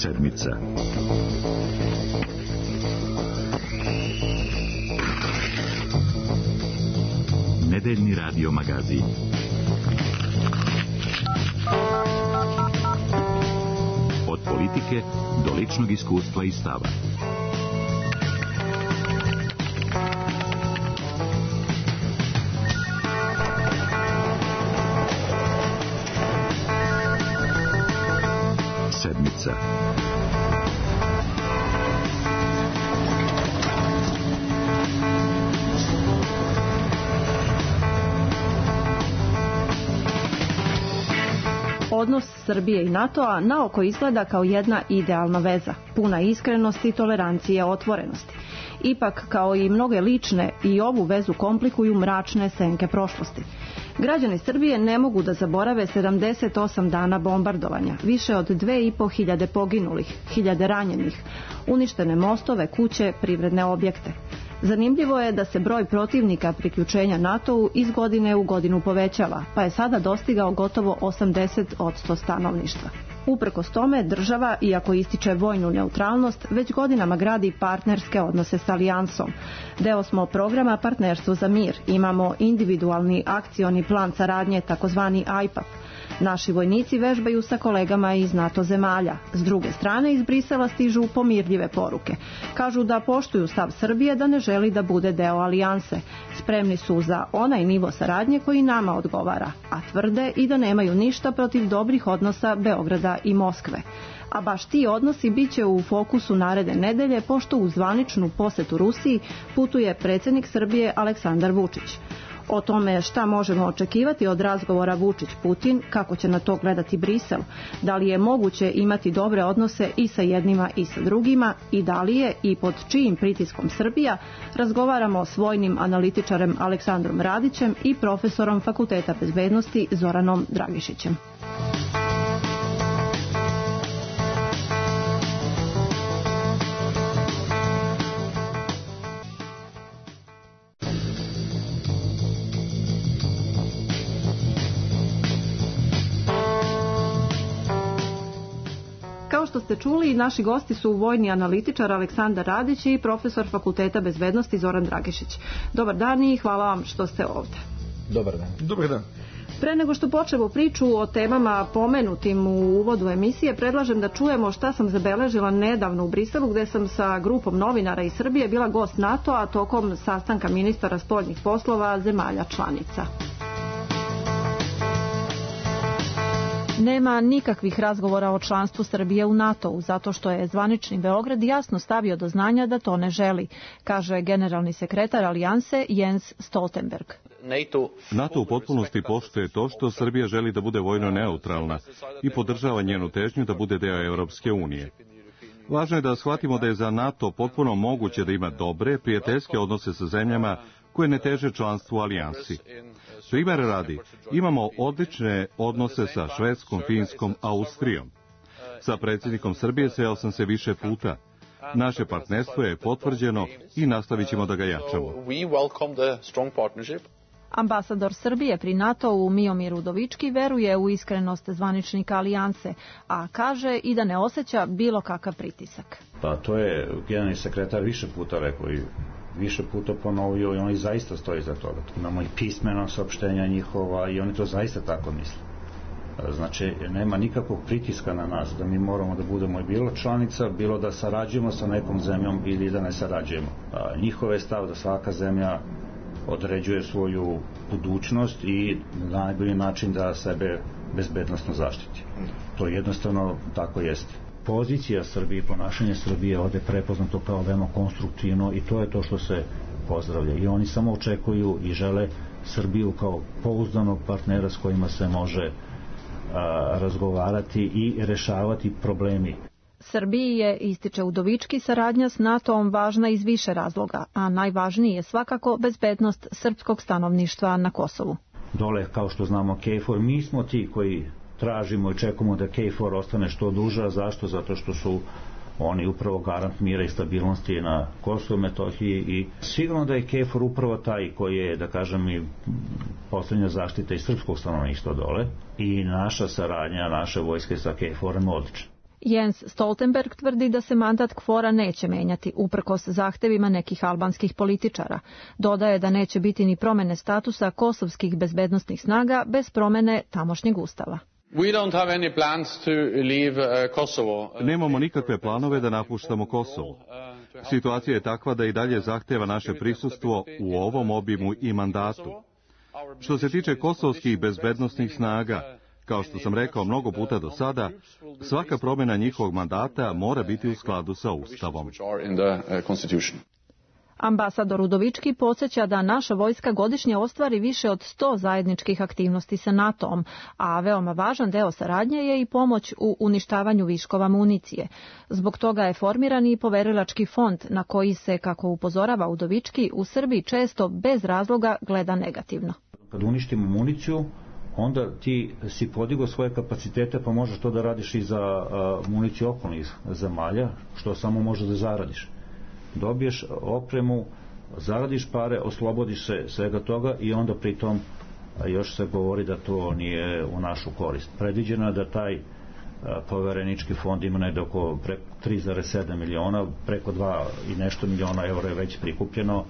Sedmica. Nedeljni radio magazin. Od politike do ličnog iskustva i stava. Sedmica. Odnos Srbije i NATO-a naoko izgleda kao jedna idealna veza, puna iskrenosti, tolerancije, otvorenosti. Ipak, kao i mnoge lične, i ovu vezu komplikuju mračne senke prošlosti. Građani Srbije ne mogu da zaborave 78 dana bombardovanja, više od 2500 poginulih, 1000 ranjenih, uništene mostove, kuće, privredne objekte. Zanimljivo je da se broj protivnika priključenja NATO-u iz godine u godinu povećava, pa je sada dostigao gotovo 80% stanovništva. Uprkos tome, država, iako ističe vojnu neutralnost, već godinama gradi partnerske odnose s Alijansom. Deo smo programa Partnerstvo za mir. Imamo individualni akcioni plan saradnje, takozvani IPAP. Naši vojnici vežbaju sa kolegama iz NATO zemalja. S druge strane, iz Brisela stižu pomirljive poruke. Kažu da poštuju stav Srbije da ne želi da bude deo alijanse. Spremni su za onaj nivo saradnje koji nama odgovara, a tvrde i da nemaju ništa protiv dobrih odnosa Beograda i Moskve. A baš ti odnosi bit će u fokusu naredne nedelje, pošto u zvaničnu posetu Rusiji putuje predsjednik Srbije Aleksandar Vučić. O tome šta možemo očekivati od razgovora Vučić-Putin, kako će na to gledati Brisel, da li je moguće imati dobre odnose i sa jednima i sa drugima i da li je i pod čijim pritiskom Srbija, razgovaramo s vojnim analitičarem Aleksandrom Radićem i profesorom Fakulteta bezbednosti Zoranom Dragišićem. Kao što ste čuli, naši gosti su vojni analitičar Aleksandar Radić i profesor Fakulteta bezbednosti Zoran Dragišić. Dobar dan i hvala vam što ste ovdje. Dobar dan. Dobar dan. Pre nego što počnemo priču o temama pomenutim u uvodu emisije, predlažem da čujemo šta sam zabeležila nedavno u Briselu, gde sam sa grupom novinara iz Srbije bila gost NATO-a tokom sastanka ministara spoljnih poslova zemalja članica. Nema nikakvih razgovora o članstvu Srbije u NATO-u, zato što je zvanični Beograd jasno stavio do znanja da to ne želi, kaže generalni sekretar Alijanse Jens Stoltenberg. NATO u potpunosti poštuje to što Srbija želi da bude vojno neutralna i podržava njenu težnju da bude deo Europske unije. Važno je da shvatimo da je za NATO potpuno moguće da ima dobre, prijateljske odnose sa zemljama koje ne teže članstvu u alijansi. Primjer radi, imamo odlične odnose sa Švedskom, Finskom, Austrijom. Sa predsjednikom Srbije sreo sam se više puta. Naše partnerstvo je potvrđeno i nastavit ćemo da ga jačamo. Ambasador Srbije pri NATO-u Miomir Udovički veruje u iskrenost zvaničnika alijanse, a kaže i da ne osjeća bilo kakav pritisak. Pa to je generalni sekretar više puta rekao i više puta ponovio i oni zaista stoji za toga. Imamo i pismeno saopštenja njihova i oni to zaista tako misle. Znači, nema nikakvog pritiska na nas da mi moramo da budemo bilo članica, bilo da sarađujemo sa nekom zemljom ili da ne sarađujemo. Njihov je stav da svaka zemlja određuje svoju budućnost i na najbolji način da sebe bezbednosno zaštiti. To jednostavno tako jeste. Pozicija Srbije, ponašanje Srbije ovdje prepoznato kao veoma konstruktivno i to je to što se pozdravlja. I oni samo očekuju i žele Srbiju kao pouzdanog partnera s kojima se može razgovarati i rešavati problemi. Srbiji je, ističe Udovički, saradnja s NATO-om važna iz više razloga, a najvažniji je svakako bezbednost srpskog stanovništva na Kosovu. Dole, kao što znamo, KFOR, mi smo ti koji tražimo i čekamo da KFOR ostane što duže. Zašto? Zato što su oni upravo garant mira i stabilnosti na Kosovu i Metohiji i sigurno da je KFOR upravo taj koji je, da kažem, i poslednja zaštita i srpskog stanovništva dole i naša saradnja, naše vojske sa KFOR-om odlična. Jens Stoltenberg tvrdi da se mandat KFOR-a neće menjati, uprkos zahtevima nekih albanskih političara. Dodaje da neće biti ni promene statusa kosovskih bezbednosnih snaga bez promene tamošnjeg ustava. Nemamo nikakve planove da napuštamo Kosovo. Situacija je takva da i dalje zahteva naše prisustvo u ovom obimu i mandatu. Što se tiče kosovskih bezbednosnih snaga, kao što sam rekao mnogo puta do sada, svaka promjena njihovog mandata mora biti u skladu sa Ustavom. Ambasador Udovički podsjeća da naša vojska godišnje ostvari više od 100 zajedničkih aktivnosti sa NATO-om, a veoma važan deo saradnje je i pomoć u uništavanju viškova municije. Zbog toga je formiran i poverilački fond na koji se, kako upozorava Udovički, u Srbiji često bez razloga gleda negativno. Kad uništimo municiju, onda ti si podigao svoje kapacitete, pa možeš to da radiš i za municiju okolnih zemalja, što samo možeš da zaradiš. Dobiješ opremu, zaradiš pare, oslobodiš se svega toga i onda pritom još se govori da to nije u našu korist. Predviđeno je da taj poverenički fond ima negde oko 3,7 miliona, preko 2 i nešto miliona eura je već prikupljeno.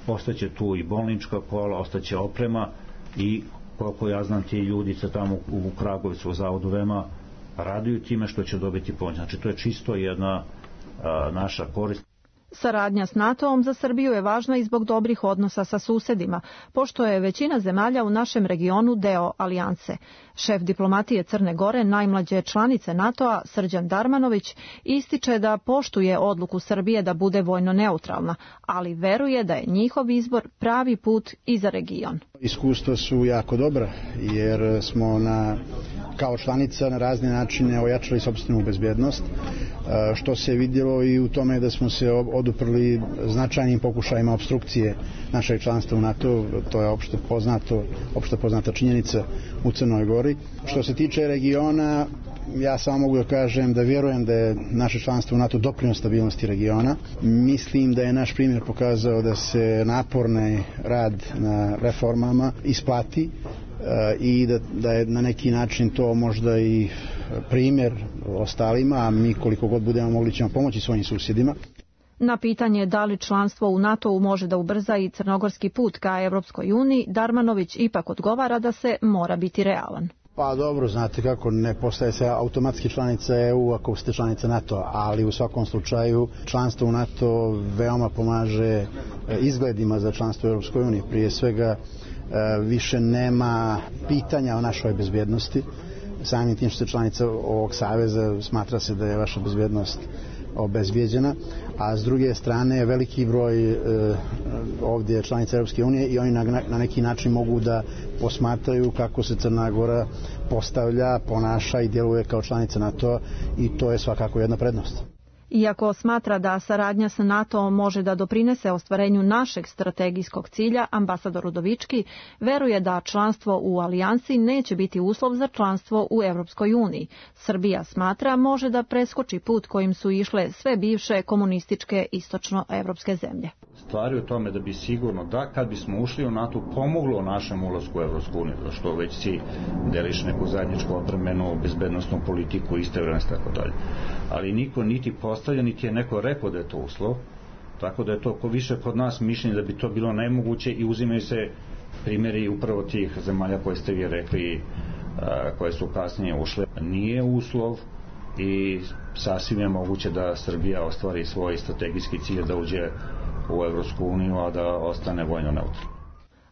Ostaće tu i bolnička kola, ostaće oprema i koliko ja znam ti ljudice tamo u Kragujevcu u zavodu VEMA raduju time što će dobiti pomoć. Znači to je čisto jedna naša korist. Saradnja s NATO-om za Srbiju je važna i zbog dobrih odnosa sa susedima, pošto je većina zemalja u našem regionu deo alijanse. Šef diplomatije Crne Gore, najmlađe članice NATO-a, Srđan Darmanović, ističe da poštuje odluku Srbije da bude vojno neutralna, ali veruje da je njihov izbor pravi put i za region. Iskustva su jako dobra, jer smo kao članica na razne načine ojačali sopstvenu bezbednost, što se vidjelo i u tome da smo se oduprli značajnim pokušajima obstrukcije našeg članstva u NATO, to je opšte poznata činjenica u Crnoj Gori. Što se tiče regiona, ja samo mogu da kažem da vjerujem da je naše članstvo u NATO doprinos stabilnosti regiona. Mislim da je naš primjer pokazao da se naporni rad na reformama isplati i da je na neki način to možda i primjer ostalima, a mi koliko god budemo mogli ćemo pomoći svojim susjedima. Na pitanje da li članstvo u NATO-u može da ubrza i crnogorski put ka Evropskoj uniji, Darmanović ipak odgovara da se mora biti realan. Pa dobro, znate kako, ne postaje se automatski članica EU ako ste članica NATO, ali u svakom slučaju članstvo u NATO veoma pomaže izgledima za članstvo u Europskoj uniji. Prije svega više nema pitanja o našoj bezbjednosti. Samim tim što ste članica ovog saveza, smatra se da je vaša bezbjednost obezbijeđena, a s druge strane veliki broj ovdje članica Europske unije i oni na neki način mogu da posmatraju kako se Crna Gora postavlja, ponaša i djeluje kao članica NATO i to je svakako jedna prednost. Iako smatra da saradnja sa NATO može da doprinese ostvarenju našeg strategijskog cilja, ambasador Udovički veruje da članstvo u alijansi neće biti uslov za članstvo u Evropskoj uniji. Srbija smatra može da preskoči put kojim su išle sve bivše komunističke istočnoevropske zemlje. Stvari u tome da bi sigurno da kad bismo ušli u NATO pomoglo našem ulasku u Evropsku uniju, što već si deliš neku zajedničku odbrambenu bezbednosnu politiku, istovremeno tako dalje. Ali niko niti postavlja, niti je neko rekao da je to uslov, tako da je to više kod nas mišljenje da bi to bilo nemoguće i uzimaju se primjeri upravo tih zemalja koje ste vi rekli, koje su kasnije ušle. Nije uslov i sasvim je moguće da Srbija ostvari svoj strategijski cilj da uđe u Evropsku uniju, a da ostane vojno neutralna.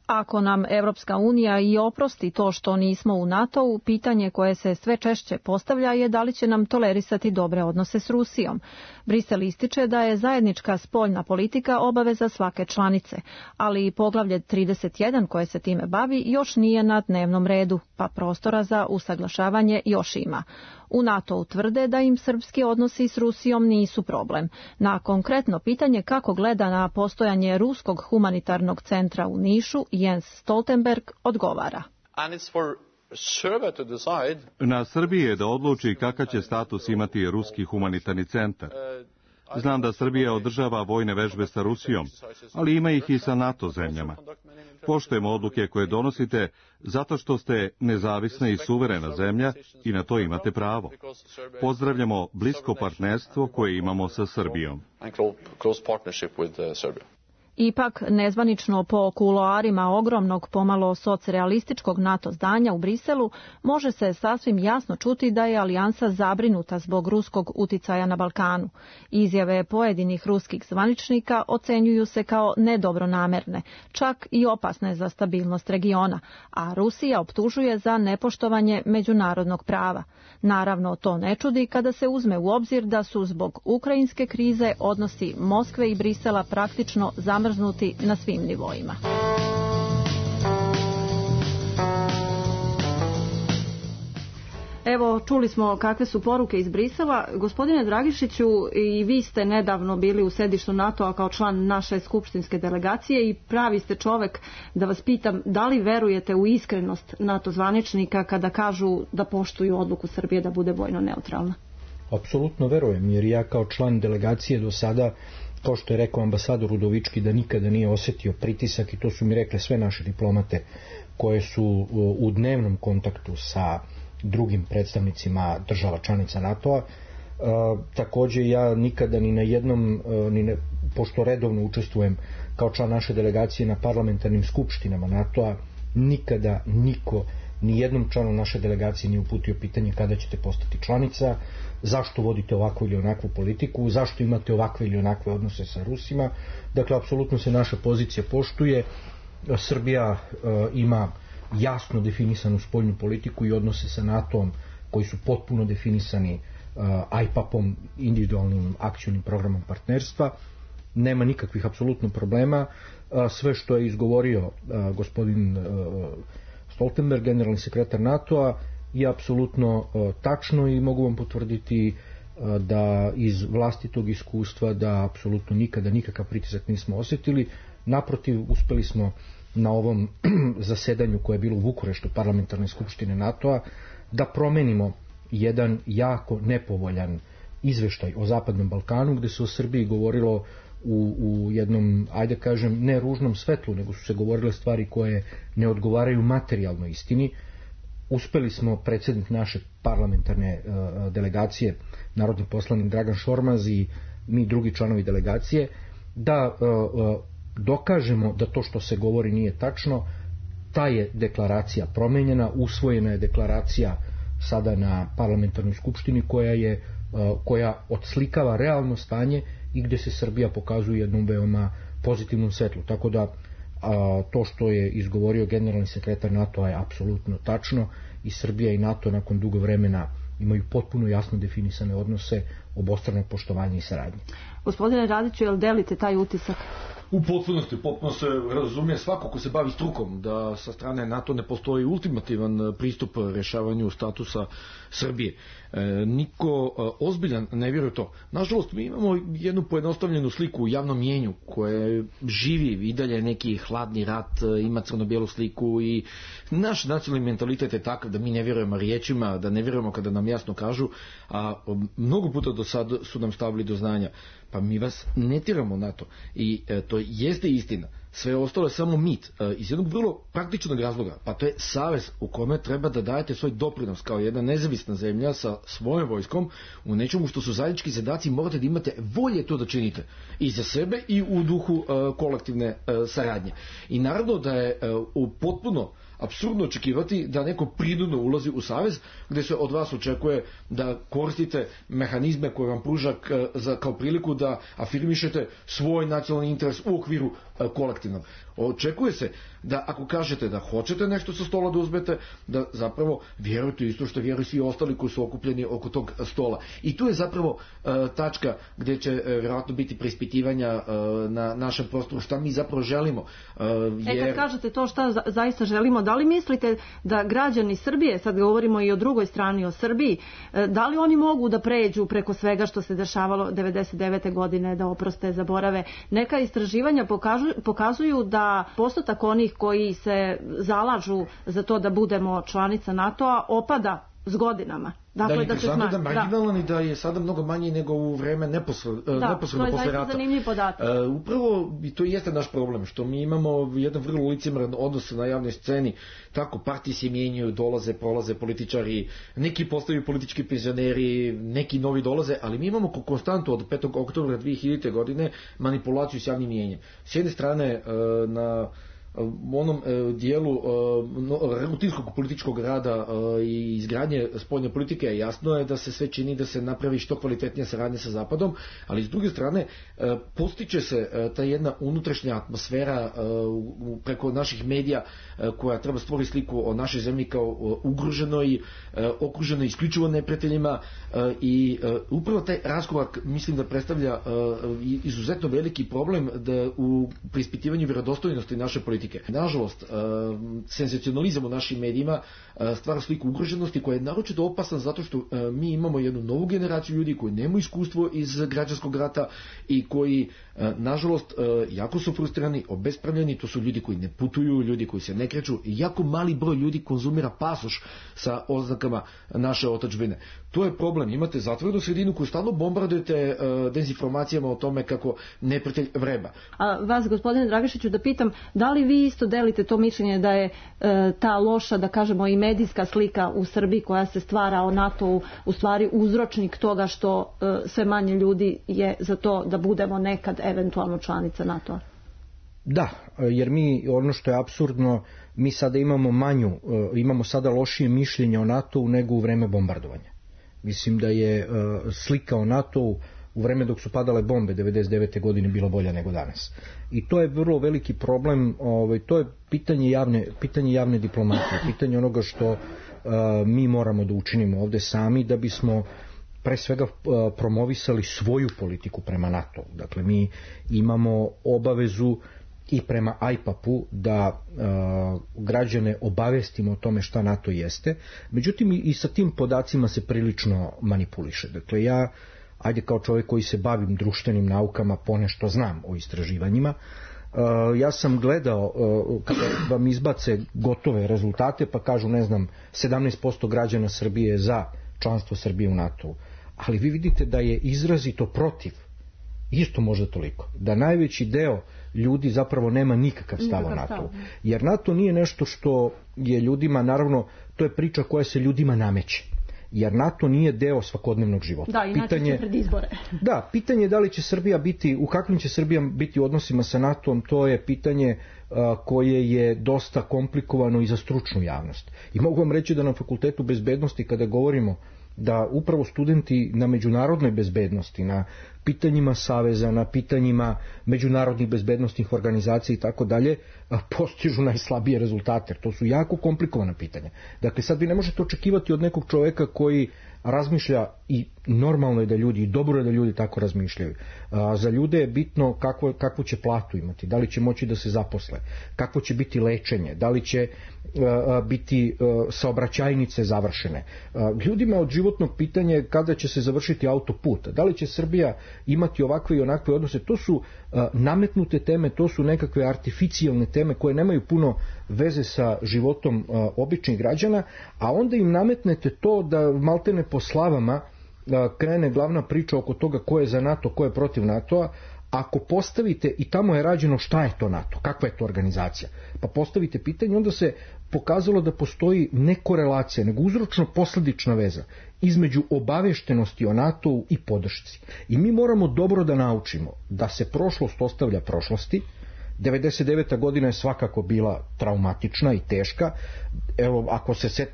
Ako nam Evropska unija i oprosti to što nismo u NATO-u, pitanje koje se sve češće postavlja je da li će nam tolerisati dobre odnose s Rusijom. Brisel ističe da je zajednička spoljna politika obaveza svake članice, ali i poglavlje 31 koje se time bavi još nije na dnevnom redu, pa prostora za usaglašavanje još ima. U NATO tvrde da im srpski odnosi s Rusijom nisu problem. Na konkretno pitanje kako gleda na postojanje ruskog humanitarnog centra u Nišu, Jens Stoltenberg odgovara. Na Srbiji je da odluči kakav će status imati ruski humanitarni centar. Znam da Srbija održava vojne vežbe sa Rusijom, ali ima ih i sa NATO zemljama. Poštujemo odluke koje donosite zato što ste nezavisna i suverena zemlja i na to imate pravo. Pozdravljamo blisko partnerstvo koje imamo sa Srbijom. Ipak, nezvanično po kuloarima ogromnog, pomalo socrealističkog NATO zdanja u Briselu, može se sasvim jasno čuti da je alijansa zabrinuta zbog ruskog uticaja na Balkanu. Izjave pojedinih ruskih zvaničnika ocenjuju se kao nedobronamerne, čak i opasne za stabilnost regiona, a Rusija optužuje za nepoštovanje međunarodnog prava. Naravno, to ne čudi kada se uzme u obzir da su zbog ukrajinske krize odnosi Moskve i Brisela praktično zamrznuti na svim nivoima. Evo, čuli smo kakve su poruke iz Brisela. Gospodine Dragišiću, i vi ste nedavno bili u sedištu NATO-a kao član naše skupštinske delegacije i pravi ste čovek da vas pitam da li verujete u iskrenost NATO zvaničnika kada kažu da poštuju odluku Srbije da bude vojno neutralna? Apsolutno verujem, jer ja kao član delegacije do sada, kao što je rekao ambasador Udovički, da nikada nije osetio pritisak, i to su mi rekle sve naše diplomate koje su u dnevnom kontaktu sa drugim predstavnicima država članica NATO-a. Takođe, ja nikada ni na jednom, pošto redovno učestvujem kao član naše delegacije na parlamentarnim skupštinama NATO-a, nikada niko, ni jednom članu naše delegacije nije uputio pitanje kada ćete postati članica, zašto vodite ovakvu ili onakvu politiku, zašto imate ovakve ili onakve odnose sa Rusima. Dakle, apsolutno se naša pozicija poštuje. Srbija ima jasno definisanu spoljnu politiku i odnose sa NATO-om koji su potpuno definisani IPAP-om, individualnim akcionim programom partnerstva. Nema nikakvih apsolutno problema. Sve što je izgovorio gospodin Stoltenberg, generalni sekretar NATO-a, je apsolutno tačno i mogu vam potvrditi da iz vlastitog iskustva da apsolutno nikada nikakav pritisak nismo osjetili. Naprotiv, uspeli smo na ovom zasedanju koje je bilo u Bukureštu parlamentarne skupštine NATO-a da promenimo jedan jako nepovoljan izveštaj o Zapadnom Balkanu, gde se o Srbiji govorilo u jednom, ajde kažem, ne ružnom svetlu, nego su se govorile stvari koje ne odgovaraju materijalnoj istini. Uspeli smo, predsjednik naše parlamentarne delegacije, narodni poslanik Dragan Šormaz i mi drugi članovi delegacije, da dokažemo da to što se govori nije tačno. Ta je deklaracija promenjena, usvojena je deklaracija sada na parlamentarnoj skupštini koja odslikava realno stanje i gde se Srbija pokazuje jednom veoma pozitivnom svetlu. Tako da to što je izgovorio generalni sekretar NATO-a je apsolutno tačno i Srbija i NATO nakon dugo vremena imaju potpuno jasno definisane odnose, obostrano poštovanje i saradnje. Gospodine Radiću, jel delite taj utisak? U potpunosti, potpuno se razumije svako ko se bavi strukom da sa strane NATO ne postoji ultimativan pristup rešavanju statusa Srbije. Niko ozbiljan ne vjeruje to. Nažalost, mi imamo jednu pojednostavljenu sliku u javnom mjenju koje živi i dalje neki hladni rat, ima crno-bijelu sliku i naš nacionalni mentalitet je takav da mi ne vjerujemo riječima, da ne vjerujemo kada nam jasno kažu, a mnogo puta do sad su nam stavili do znanja. Pa mi vas ne tiramo na to. I to jeste istina. Sve ostalo je samo mit. Iz jednog vrlo praktičnog razloga. Pa to je savez u kome treba da dajete svoj doprinos kao jedna nezavisna zemlja sa svojom vojskom u nečemu što su zajednički zadaci. Morate da imate volje to da činite. I za sebe i u duhu kolektivne saradnje. I naravno da je potpuno apsurdno očekivati da neko prinudno ulazi u savez gde se od vas očekuje da koristite mehanizme koje vam pruža kao priliku da afirmišete svoj nacionalni interes u okviru kolektivnog. Očekuje se da ako kažete da hoćete nešto sa stola da uzmete, da zapravo vjerujete isto što vjeruju svi ostali koji su okupljeni oko tog stola. I tu je zapravo tačka gdje će vjerojatno biti preispitivanja na našem prostoru šta mi zapravo želimo. Kad kažete to šta zaista želimo, da li mislite da građani Srbije, sad govorimo i o drugoj strani, o Srbiji, da li oni mogu da pređu preko svega što se dešavalo 99. godine, da oproste, zaborave? Neka istraživanja pokazuju da postotak onih koji se zalažu za to da budemo članica NATO-a opada s godinama. Dakle, da se smanji. Da marginalan i da je sada mnogo manji nego u vreme neposredno posle rata. Zanimljiv podatak. Upravo i to jeste naš problem, što mi imamo jedan vrlo licemeran odnos na javnoj sceni, tako partije se mijenjaju, dolaze, prolaze političari, neki postaju politički penzioneri, neki novi dolaze, ali mi imamo konstantu od 5. oktobra 2000. godine manipulaciju s javnim mijenjem. S jedne strane na u onom dijelu rutinskog političkog rada i izgradnje spoljne politike jasno je da se sve čini da se napravi što kvalitetnija saradnja sa Zapadom, ali s druge strane postiče se ta jedna unutrašnja atmosfera preko naših medija koja treba stvoriti sliku o našoj zemlji kao ugroženoj, okruženoj isključivo neprijateljima i upravo taj raskorak mislim da predstavlja izuzetno veliki problem da u preispitivanju vjerodostojnosti naše politike. Nažalost, senzacionalizam u našim medijima stvara sliku ugroženosti koja je naročito opasna zato što mi imamo jednu novu generaciju ljudi koji nemaju iskustvo iz građanskog rata i koji, nažalost, jako su frustrirani, obespravljeni, to su ljudi koji ne putuju, ljudi koji se ne kreću i jako mali broj ljudi konzumira pasoš sa oznakama naše otadžbine. To je problem. Imate zatvorenu sredinu koju stalno bombardujete dezinformacijama o tome kako neprijatelj vreba. A vas, gospodine Dragišiću, da pitam, da li vi isto delite to mišljenje da je ta loša, da kažemo, i medijska slika u Srbiji koja se stvara o NATO-u u stvari uzročnik toga što sve manje ljudi je za to da budemo nekad eventualno članica NATO-a? Da, jer mi, ono što je apsurdno, mi sada imamo sada lošije mišljenje o NATO-u nego u vreme bombardovanja. Mislim da je slika o NATO-u u vreme dok su padale bombe 99. godine bila bolja nego danas. I to je vrlo veliki problem, to je pitanje javne diplomatije, pitanje onoga što mi moramo da učinimo ovde sami da bismo pre svega promovisali svoju politiku prema NATO. Dakle, mi imamo obavezu i prema IPAP-u da građane obavestimo o tome šta NATO jeste. Međutim, i sa tim podacima se prilično manipuliše. Dakle, ja, ajde kao čovjek koji se bavim društvenim naukama, ponešto znam o istraživanjima, ja sam gledao kada vam izbace gotove rezultate pa kažu, 17% građana Srbije je za članstvo Srbije u NATO-u. Ali vi vidite da je izrazito protiv isto možda toliko. Da najveći deo ljudi zapravo nema nikakav stav o NATO. Jer NATO nije nešto što je ljudima, naravno, to je priča koja se ljudima nameće. Jer NATO nije deo svakodnevnog života. Da, inače će pred izbore. Da, pitanje je da li će Srbija biti, u kakvim će Srbija biti u odnosima sa NATO-om, to je pitanje koje je dosta komplikovano i za stručnu javnost. I mogu vam reći da na Fakultetu bezbednosti, kada govorimo da upravo studenti na međunarodnoj bezbednosti, na pitanjima saveza, na pitanjima međunarodnih bezbednostnih organizacija i tako dalje, postižu najslabije rezultate. To su jako komplikovana pitanja. Dakle, sad vi ne možete očekivati od nekog čoveka koji razmišlja, i normalno je da ljudi, i dobro je da ljudi tako razmišljaju. Za ljude je bitno kakvu će platu imati, da li će moći da se zaposle, kakvo će biti lečenje, da li će biti saobraćajnice završene. Ljudima od životnog pitanja je kada će se završiti autoput, da li će Srbija imati ovakve i onakve odnose. To su nametnute teme, to su nekakve artificijalne teme koje nemaju puno veze sa životom običnih građana, a onda im nametnete to da maltene po slavama krene glavna priča oko toga ko je za NATO, ko je protiv NATO-a. Ako postavite, i tamo je rađeno šta je to NATO, kakva je to organizacija, pa postavite pitanje, onda se pokazalo da postoji ne korelacija, nego uzročno-posledična veza između obaveštenosti o NATO-u i podršci. I mi moramo dobro da naučimo da se prošlost ostavlja prošlosti. 99. godina je svakako bila traumatična i teška, evo, ako se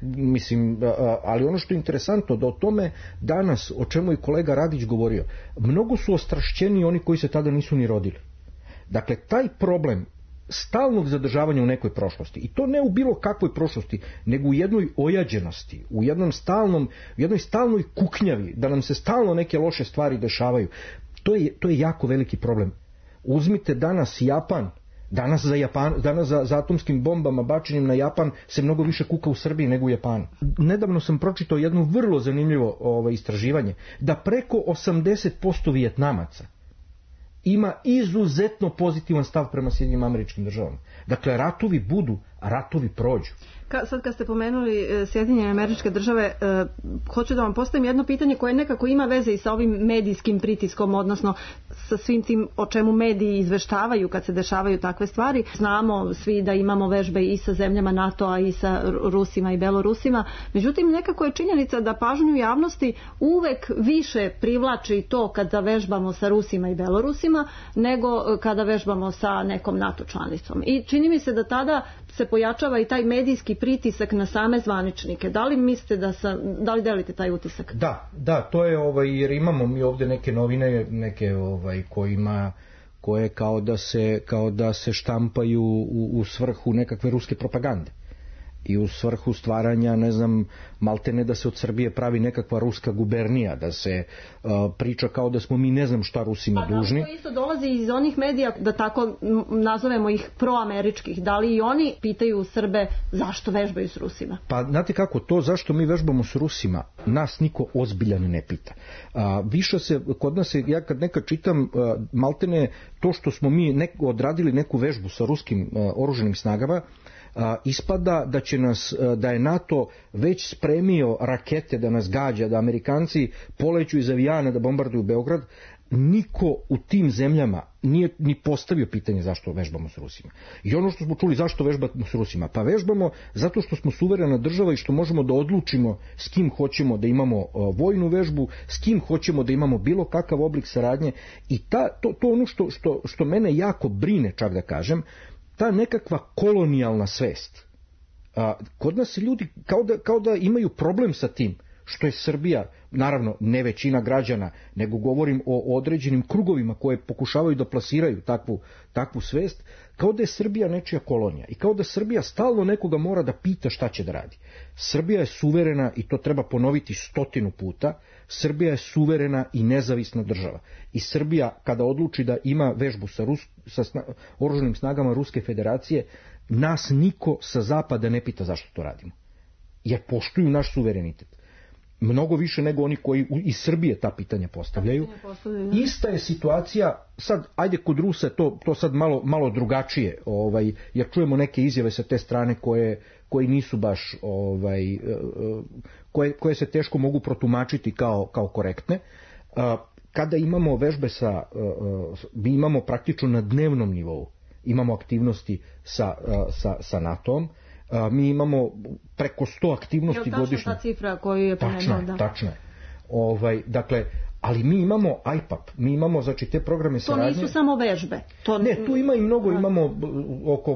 ali ono što je interesantno da o tome danas, o čemu je kolega Radić govorio, mnogo su ostrašćeni oni koji se tada nisu ni rodili. Dakle, taj problem stalnog zadržavanja u nekoj prošlosti, i to ne u bilo kakvoj prošlosti, nego u jednoj ojađenosti, u jednoj stalnoj kuknjavi, da nam se stalno neke loše stvari dešavaju, to je jako veliki problem. Uzmite danas Japan, danas za atomskim bombama bačenim na Japan se mnogo više kuka u Srbiji nego u Japanu. Nedavno sam pročitao jedno vrlo zanimljivo istraživanje, da preko 80% Vijetnamaca ima izuzetno pozitivan stav prema Sjedinjenim Američkim Državama. Dakle, ratovi budu, ratovi prođu. Sad kad ste pomenuli Sjedinjene Američke Države, hoću da vam postavim jedno pitanje koje nekako ima veze i sa ovim medijskim pritiskom, odnosno sa svim tim o čemu mediji izveštavaju kad se dešavaju takve stvari. Znamo svi da imamo vežbe i sa zemljama NATO-a i sa Rusima i Belorusima, međutim nekako je činjenica da pažnju javnosti uvek više privlači to kada vežbamo sa Rusima i Belorusima nego kada vežbamo sa nekom NATO članicom. I čini mi se da tada se pojačava i taj medijski pritisak na same zvaničnike. Da li mislite da li delite taj utisak? Da, to je jer imamo mi ovdje neke novine, neke koje kao da se štampaju u svrhu nekakve ruske propagande i u svrhu stvaranja, ne znam, maltene da se od Srbije pravi nekakva ruska gubernija, da se priča kao da smo mi ne znam šta Rusima dužni. To isto dolazi iz onih medija, da tako nazovemo ih proameričkih. Da li i oni pitaju Srbe zašto vežbaju s Rusima? Pa znate kako, to zašto mi vežbamo s Rusima, nas niko ozbiljan ne pita. Više se, kod nas je, ja kad nekad čitam, maltene to što smo mi odradili neku vežbu sa ruskim oružanim snagama, ispada da je NATO već spremio rakete da nas gađa, da Amerikanci poleću iz avijana da bombarduju Beograd. Niko u tim zemljama nije ni postavio pitanje zašto vežbamo s Rusima. I ono što smo čuli zašto vežbamo s Rusima, pa vežbamo zato što smo suverena država i što možemo da odlučimo s kim hoćemo da imamo vojnu vežbu, s kim hoćemo da imamo bilo kakav oblik saradnje. I to ono što mene jako brine, čak da kažem, ta nekakva kolonijalna svest. Kod nas se ljudi kao da imaju problem sa tim što je Srbija, naravno ne većina građana, nego govorim o određenim krugovima koje pokušavaju da plasiraju takvu svest, kao da je Srbija nečija kolonija i kao da Srbija stalno nekoga mora da pita šta će da radi. Srbija je suverena i to treba ponoviti 100 puta. Srbija je suverena i nezavisna država. I Srbija kada odluči da ima vežbu sa oružanim snagama Ruske federacije, nas niko sa zapada ne pita zašto to radimo. Jer poštuju naš suverenitet. Mnogo više nego oni koji iz Srbije ta pitanja postavljaju. Ista je situacija, sad ajde kod Rusa to sad malo drugačije, jer čujemo neke izjave sa te strane koje nisu baš, koje se teško mogu protumačiti kao korektne. Kada imamo vežbe mi imamo praktično na dnevnom nivou, imamo aktivnosti sa NATO-om. Mi imamo preko 100 aktivnosti godišnje. Je li tačna ta cifra koju je pomenuo? Tačno je. Dakle, ali mi imamo IPAP, mi imamo znači te programe saradnje. To nisu samo vežbe. Ne, tu ima i mnogo, imamo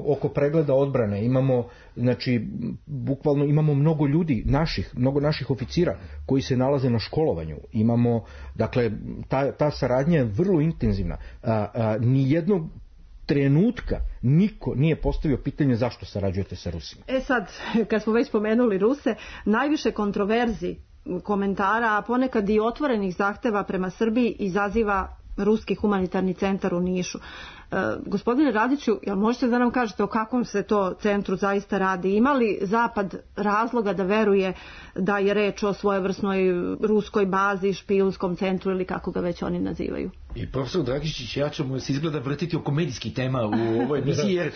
oko pregleda odbrane, imamo, znači, bukvalno imamo mnogo ljudi, mnogo naših oficira koji se nalaze na školovanju. Imamo, dakle, ta saradnja je vrlo intenzivna. Nijednog trenutka niko nije postavio pitanje zašto sarađujete sa Rusima. Sad, kad smo već spomenuli Ruse, najviše kontroverzi, komentara, a ponekad i otvorenih zahteva prema Srbiji izaziva Ruski humanitarni centar u Nišu. Gospodine Radiću, jel možete da nam kažete o kakvom se to centru zaista radi? Ima li Zapad razloga da veruje da je reč o svojevrsnoj ruskoj bazi, špijunskom centru ili kako ga već oni nazivaju? I profesor Dragišić, ja ćemo se izgleda vrtiti oko medijskih tema u ovoj emisiji, jer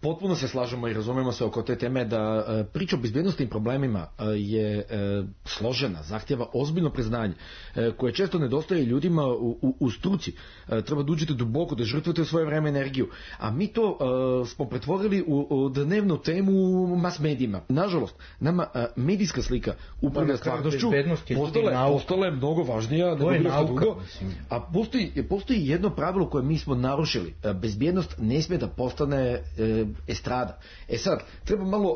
potpuno se slažemo i razumemo se oko te teme da priča o bezbednosnim problemima je složena, zahtjeva ozbiljno priznanje koje često nedostaje ljudima u struci. Treba da uđete duboko, da žrtvujete svoje vreme energiju. A mi to smo pretvorili u dnevnu temu u mas medijima. Nažalost, nama medijska slika upravlja stvarnošću postala je mnogo važnija nego bilo što drugo. A postoji jedno pravilo koje mi smo narušili. Bezbjednost ne smije da postane estrada. Sad, treba malo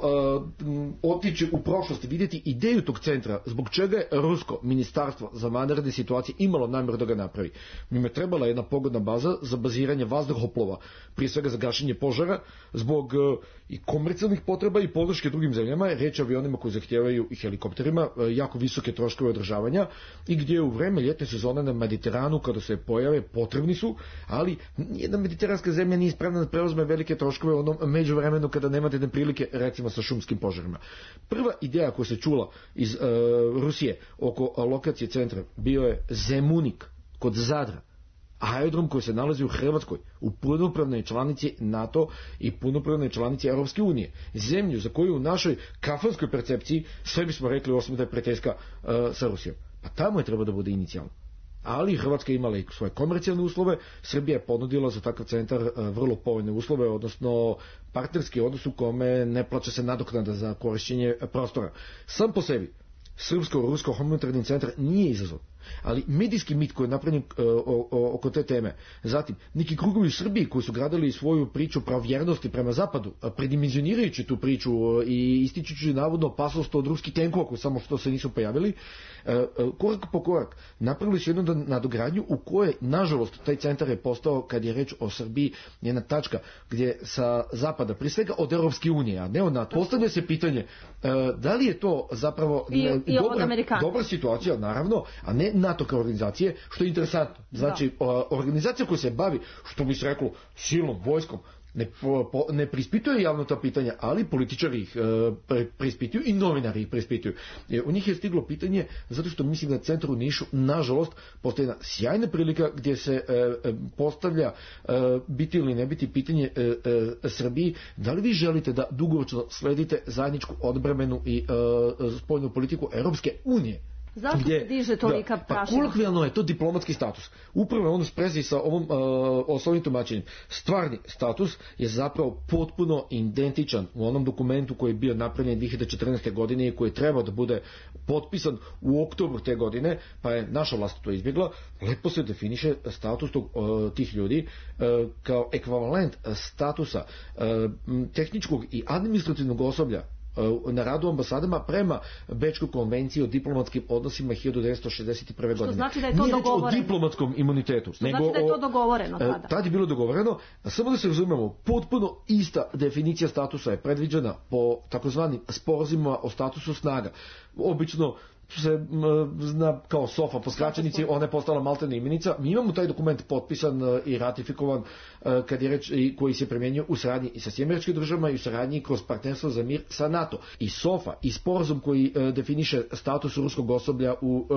otići u prošlost i vidjeti ideju tog centra, zbog čega je Rusko ministarstvo za vanredne situacije imalo namjeru da ga napravi. Njima je trebala jedna pogodna baza za baziranje vazduhoplova, prije svega za gašenje požara, zbog i komercijalnih potreba i podrške drugim zemljama, reč o avionima koji zahtijevaju i helikopterima jako visoke troškove održavanja i gdje u vreme ljetne sezone na Mediteranu kada se pojave potrebni su, ali nijedna mediteranska zemlja nije spremna da preuzme velike troškove u onom međuvremenu kada nemate neprilike, recimo sa šumskim požarima. Prva ideja koja se čula iz Rusije oko lokacije centra bio je Zemunik kod Zadra. aerodrom koji se nalazi u Hrvatskoj, u punopravnoj članici NATO i punopravnoj članici Europske unije. Zemlju za koju u našoj kafanskoj percepciji sve bismo rekli osim da je prijateljska sa Rusijom. Pa tamo je treba da bude inicijalno. Ali Hrvatska je imala i svoje komercijalne uslove, Srbija je ponudila za takav centar vrlo povoljne uslove, odnosno partnerski odnos u kome ne plaća se nadoknada za korišćenje prostora. Sam po sebi Srpsko-Rusko humanitarni centar nije izazov, ali medijski mit koji je napravljen oko te teme, zatim neki krugovi u Srbiji koji su gradili svoju priču pravovjernosti prema zapadu, predimenzionirajući tu priču i ističući navodno opasnost od ruskih tenkova koji samo što se nisu pojavili, korak po korak napravili su jednu nadogradnju u kojoj, nažalost, taj centar je postao, kad je reč o Srbiji, jedna tačka gdje sa zapada, prije svega od Europske unije, a ne od NATO, postavlja se pitanje da li je to zapravo dobra situacija, naravno, a ne NATO kao organizacije, što je interesantno. Znači, organizacija koja se bavi, što bi se reklo, silnom, vojskom, ne prispituje javno ta pitanja, ali političari ih preispituju i novinari ih preispituju. U njih je stiglo pitanje, zato što mislim da centar u Nišu, nažalost, postoji jedna sjajna prilika gdje se postavlja biti ili ne biti pitanje Srbiji, da li vi želite da dugoročno sledite zajedničku odbrambenu i spoljnu politiku Europske unije? Zašto se diže tolika prašina? Pa kolokvijalno je to diplomatski status. Upravo je ono sprezi sa ovim tumačenjem. Stvarni status je zapravo potpuno identičan u onom dokumentu koji je bio napravljen 2014. godine i koji je trebao da bude potpisan u oktobru te godine, pa je naša vlast to izbjegla. Lepo se definiše status tih ljudi kao ekvivalent statusa tehničkog i administrativnog osoblja na radu u ambasadama prema Bečkoj konvenciji o diplomatskim odnosima 1961. godine. Što znači da je to dogovoreno. Nije reč o diplomatskom imunitetu. Što znači da je to dogovoreno tada. Tad je bilo dogovoreno, samo da se razumemo, potpuno ista definicija statusa je predviđena po takozvanim sporazumima o statusu snaga. Obično se zna kao SOFA po skraćenici, ona je postala maltene imenica. Mi imamo taj dokument potpisan i ratifikovan kad je reč, koji se primjenjuje u saradnji i sa Sjedinjenim Državama i u saradnji kroz partnerstvo za mir sa NATO. I SOFA i sporazum koji definiše status ruskog osoblja u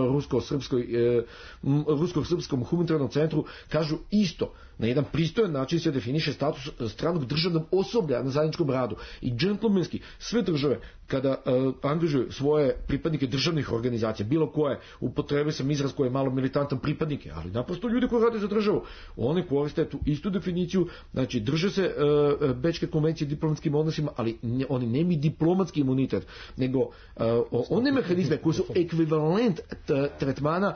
rusko-srpskom humanitarnom centru kažu isto. Na jedan pristojan način se definiše status stranog državnog osoblja na zajedničkom radu. I džentlmenski sve države kada angažuju svoje pripadnike državnih organizacija, bilo koje, upotrebe sam izraz koji je malo militantan, pripadnike, ali naprosto ljudi koji rade za državu, oni koriste tu istu definiciju, znači drže se Bečke konvencije o diplomatskim odnosima, ali oni nemaju diplomatski imunitet, nego one mehanizme koji su ekvivalent tretmana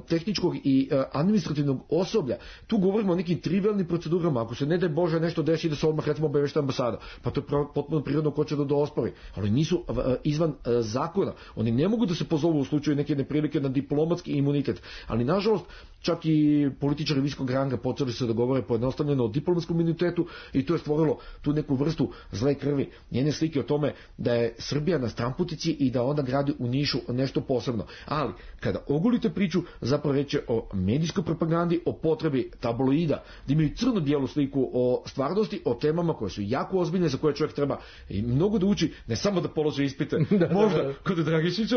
tehničkog i administrativnog osoblja. Tu govorimo o nekim trivialnim procedurama, ako se ne daj Bože nešto desi da se odmah recimo obavešta ambasada, pa to je potpuno prirodno ko će da ospori, ali nisu izvan zakona. Oni ne mogu da se pozovu u slučaju neke neprilike na diplomatski imunitet, ali nažalost čak i političari visokog ranga počeli se da govore pojednostavljeno o diplomatskom imunitetu i to je stvorilo tu neku vrstu zle krvi, njene slike o tome da je Srbija na stramputici i da onda gradi u Nišu nešto posebno. Ali kada ogolite priču, zapravo reći o medijskoj propagandi, o potrebi tabloida, da imaju crno-bijelu sliku o stvarnosti, o temama koje su jako ozbiljne, za koje čovjek treba i mnogo da uči, ne samo da položi ispite, možda kod Dragišića,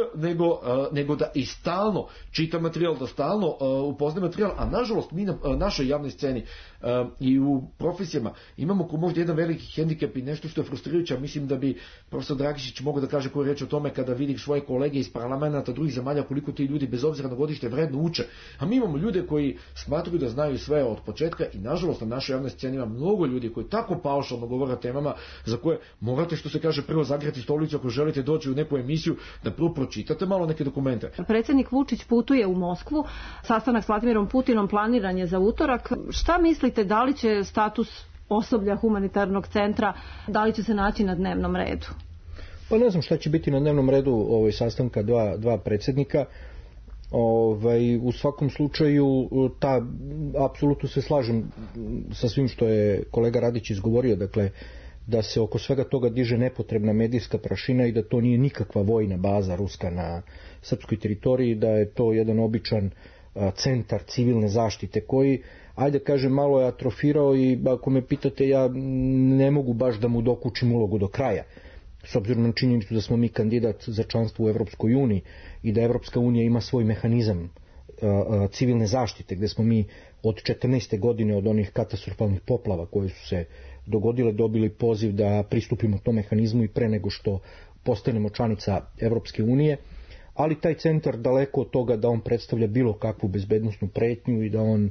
nego da i stalno čita materijal, da stalno upozna materijal, a nažalost mi na našoj javnoj sceni i u profesijama imamo ko možda jedan veliki hendikep i nešto što je frustrirajuće, mislim da bi profesor Dragišić mogao da kaže koju reč o tome kada vidi svoje kolege iz parlamenta drugih zemalja koliko ti ljudi bez obzira na godište vredno uče, a mi imamo ljude koji smatruju da znaju sve od početka i nažalost na našoj javnoj sceni ima mnogo ljudi koji tako paušalno govore o temama za koje morate, što se kaže, prvo zagrati stolicu ako želite doći u neku emisiju, da prvo pročitate malo neke dokumente. Predsjednik Vučić putuje u Moskvu, sastanak s Vladimirom Putinom planiran je za utorak. Šta mislite, da li će status osoblja humanitarnog centra, da li će se naći na dnevnom redu? Pa ne znam šta će biti na dnevnom redu sastanka dva predsjednika. U svakom slučaju apsolutno se slažem sa svim što je kolega Radić izgovorio, dakle da se oko svega toga diže nepotrebna medijska prašina i da to nije nikakva vojna baza ruska na srpskoj teritoriji, da je to jedan običan centar civilne zaštite koji, ajde kažem, malo je atrofirao i ako me pitate, ja ne mogu baš da mu dokučim ulogu do kraja. S obzirom na činjenicu da smo mi kandidat za članstvo u Evropskoj uniji i da Evropska unija ima svoj mehanizam civilne zaštite, gde smo mi od 14. godine, od onih katastrofalnih poplava koje su se dogodile, dobili poziv da pristupimo tom mehanizmu i pre nego što postanemo članica Evropske unije, ali taj centar daleko od toga da on predstavlja bilo kakvu bezbednosnu pretnju i da on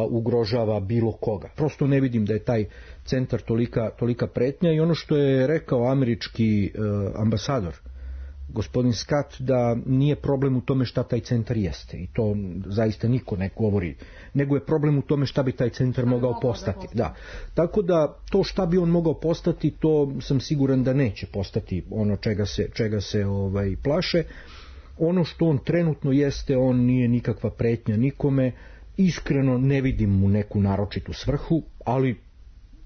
ugrožava bilo koga. Prosto ne vidim da je taj centar tolika pretnja i ono što je rekao američki ambasador gospodin Scott, da nije problem u tome šta taj centar jeste i to zaista niko ne govori, nego je problem u tome šta bi taj centar mogao postati. Da. Tako da to šta bi on mogao postati, to sam siguran da neće postati ono čega se plaše. Ono što on trenutno jeste, on nije nikakva pretnja nikome, iskreno ne vidim mu neku naročitu svrhu, ali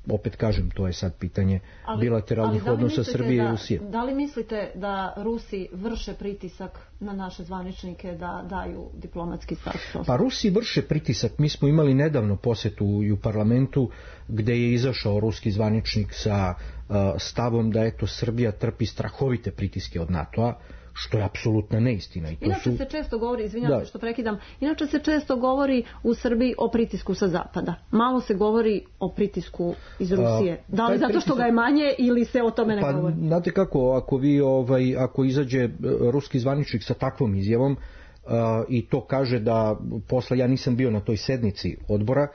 opet kažem, to je sad pitanje bilateralnih odnosa Srbije i Rusije. Da li mislite da Rusi vrše pritisak na naše zvaničnike da daju diplomatski status? Pa Rusi vrše pritisak. Mi smo imali nedavno posetu u parlamentu gde je izašao ruski zvaničnik sa stavom da Srbija trpi strahovite pritiske od NATO-a, što je apsolutna neistina. Inače se često govori, izvinjam se što prekidam, inače se često govori u Srbiji o pritisku sa zapada. Malo se govori o pritisku iz Rusije. Da li zato što ga je manje ili se o tome ne govori? Pa znate kako, ako izađe ruski zvaničnik sa takvom izjavom i to kaže da posle, ja nisam bio na toj sednici odbora,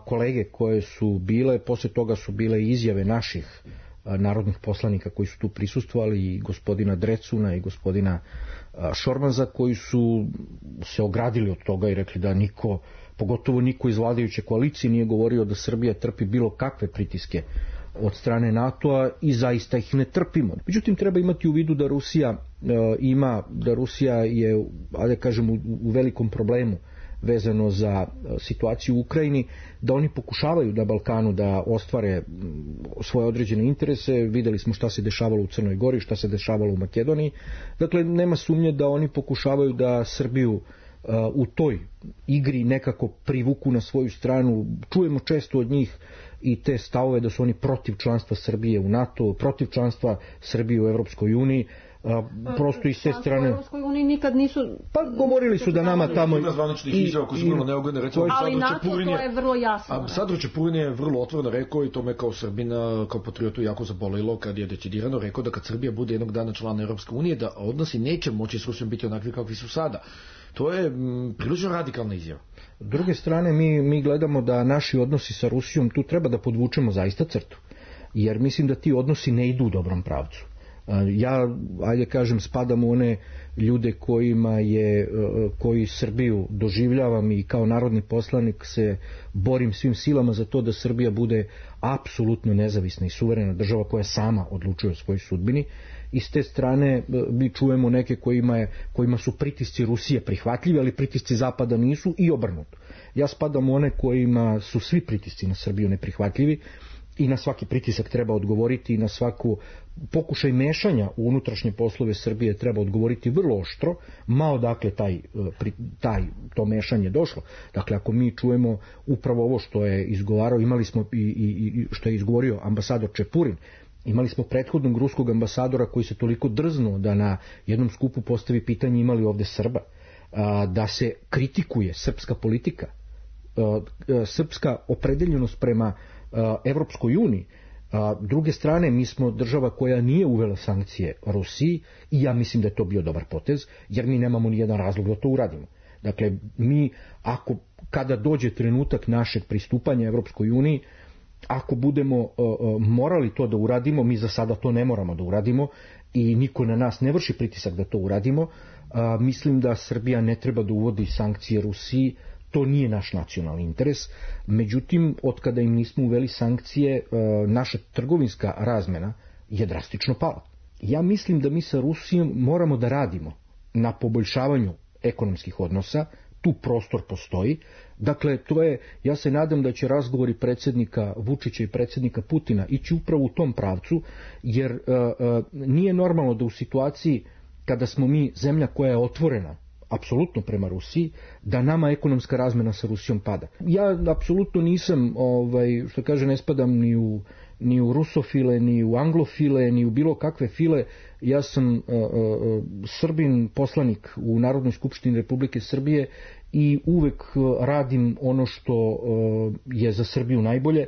kolege koje su bile, posle toga su bile izjave naših narodnih poslanika koji su tu prisustvovali, i gospodina Drecuna i gospodina Šormaza, koji su se ogradili od toga i rekli da niko, pogotovo niko iz vladajuće koalicije, nije govorio da Srbija trpi bilo kakve pritiske od strane NATO-a i zaista ih ne trpimo. Međutim, treba imati u vidu da Rusija je, da kažem, u velikom problemu vezano za situaciju u Ukrajini, da oni pokušavaju na Balkanu da ostvare svoje određene interese. Videli smo šta se dešavalo u Crnoj Gori, šta se dešavalo u Makedoniji. Dakle, nema sumnje da oni pokušavaju da Srbiju u toj igri nekako privuku na svoju stranu. Čujemo često od njih i te stavove da su oni protiv članstva Srbije u NATO, protiv članstva Srbije u Evropskoj uniji. Prosto iz te strane. U Evropskoj uniji nikad nisu. Pa govorili su da nama tamo. Ima zvaničnih izjava koji su vrlo neugodne, recimo. Ali NATO to je vrlo jasno. Ambasador Čepurin je vrlo otvoreno rekao, i to me kao Srbina, kao patriotu jako zabolilo kad je decidirano rekao da kad Srbija bude jednog dana član Evropske unije, da odnosi neće moći s Rusijom biti onakvi kakvi su sada. To je prilično radikalna izjava. S druge strane, mi gledamo da naši odnosi sa Rusijom, tu treba da podvučemo zaista crtu. Jer mislim da ti odnosi ne idu u dobrom pravcu. Ja, ajde kažem, spadam u one ljude koji Srbiju doživljavam i kao narodni poslanik se borim svim silama za to da Srbija bude apsolutno nezavisna i suverena država koja sama odlučuje o svojoj sudbini. I s te strane mi čujemo neke kojima su pritisci Rusije prihvatljivi, ali pritisci Zapada nisu, i obrnuto. Ja spadam u one kojima su svi pritisci na Srbiju neprihvatljivi i na svaki pritisak treba odgovoriti, i na svaku pokušaj mešanja u unutrašnje poslove Srbije treba odgovoriti vrlo oštro, ma odakle to mešanje došlo. Dakle, ako mi čujemo upravo ovo što je izgovarao, imali smo i što je izgovorio ambasador Čepurin, imali smo prethodnog ruskog ambasadora koji se toliko drznuo da na jednom skupu postavi pitanje imali ovde Srba, da se kritikuje srpska politika, srpska opredeljenost prema Evropskoj uniji. Druge strane, mi smo država koja nije uvela sankcije Rusiji i ja mislim da je to bio dobar potez, jer mi nemamo ni jedan razlog da to uradimo. Dakle, mi kada dođe trenutak našeg pristupanja Evropskoj uniji, ako budemo morali to da uradimo, mi za sada to ne moramo da uradimo i niko na nas ne vrši pritisak da to uradimo. Mislim da Srbija ne treba da uvodi sankcije Rusiji. To nije naš nacionalni interes. Međutim, od kada im nismo uveli sankcije, naša trgovinska razmena je drastično pala. Ja mislim da mi sa Rusijom moramo da radimo na poboljšavanju ekonomskih odnosa. Tu prostor postoji. Dakle, ja se nadam da će razgovori predsjednika Vučića i predsjednika Putina ići upravo u tom pravcu, jer nije normalno da u situaciji kada smo mi zemlja koja je otvorena apsolutno prema Rusiji, da nama ekonomska razmena sa Rusijom pada. Ja apsolutno nisam, što kaže, ne spadam ni u rusofile, ni u anglofile, ni u bilo kakve file. Ja sam Srbin, poslanik u Narodnoj skupštini Republike Srbije i uvek radim ono što je za Srbiju najbolje